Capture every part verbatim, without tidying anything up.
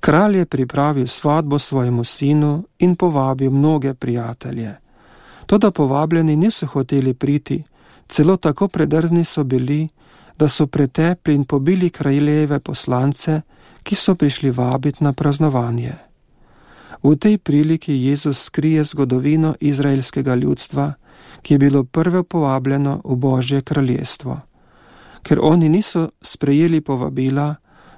Kralj je pripravil svatbo svojemu sinu in povabil mnoge prijatelje. Toda povabljeni niso hoteli priti, celo tako predrzni so bili, da so pretepli in pobili kraljeve poslance, ki so prišli vabiti na praznovanje. V tej priliki Jezus skrije zgodovino izraelskega ljudstva, ki je bilo prvo povabljeno v Božje kraljestvo. Ker oni niso sprejeli povabila,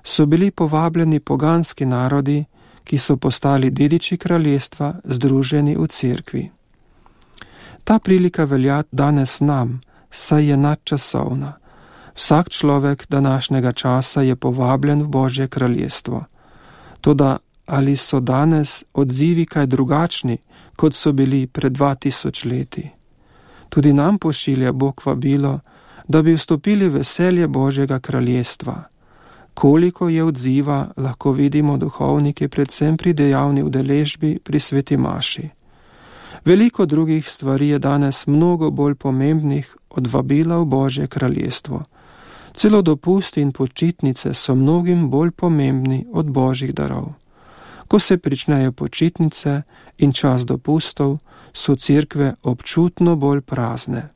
so bili povabljeni poganski narodi, ki so postali dediči kraljestva, združeni v cerkvi. Ta prilika velja danes nam, saj je nadčasovna. Vsak človek današnjega časa je povabljen v Božje kraljestvo. Toda ali so danes odzivi kaj drugačni, kot so bili pred dva tisoč leti? Tudi nam pošilja Bog vabilo, da bi vstopili v veselje Božjega kraljestva. Koliko je odziva, lahko vidimo duhovniki predvsem pri dejavni udeležbi pri sveti maši. Veliko drugih stvari je danes mnogo bolj pomembnih od vabila v Božje kraljestvo. Celo dopusti in počitnice so mnogim bolj pomembni od Božjih darov. Ko se pričnejo počitnice in čas dopustov, so cerkve občutno bolj prazne.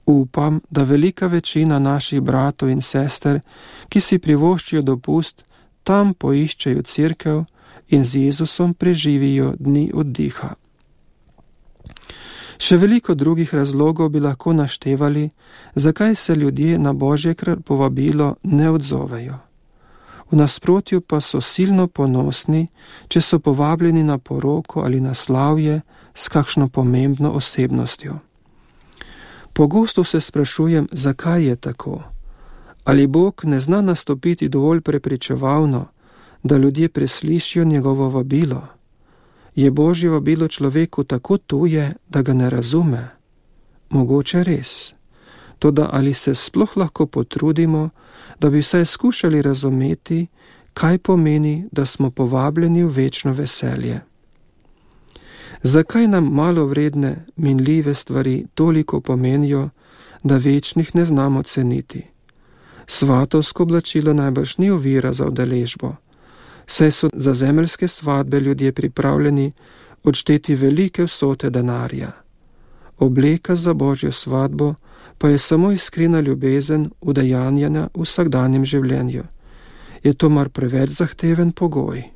Upam, da velika večina naših bratov in sester, ki si privoščijo dopust, tam poiščejo cerkev in z Jezusom preživijo dni oddiha. Še veliko drugih razlogov bi lahko naštevali, zakaj se ljudje na Božje povabilo ne odzovejo. V nasprotju pa so silno ponosni, če so povabljeni na poroko ali na slavje s kakšno pomembno osebnostjo. Pogosto se sprašujem, zakaj je tako. Ali Bog ne zna nastopiti dovolj prepričevalno, da ljudje preslišijo njegovo vabilo? Je Božje vabilo človeku tako tuje, da ga ne razume? Mogoče res. Toda ali se sploh lahko potrudimo, da bi vsaj skušali razumeti, kaj pomeni, da smo povabljeni v večno veselje? Zakaj nam malo vredne, minljive stvari toliko pomenijo, da večnih ne znamo ceniti? Svatovsko oblačilo najbrž ni ovira za udeležbo, saj so za zemeljske svatbe ljudje pripravljeni odšteti velike vsote denarja. Obleka za Božjo svatbo pa je samo iskrena ljubezen udejanjena v vsakdanjem življenju. Je to mar preveč zahteven pogoj?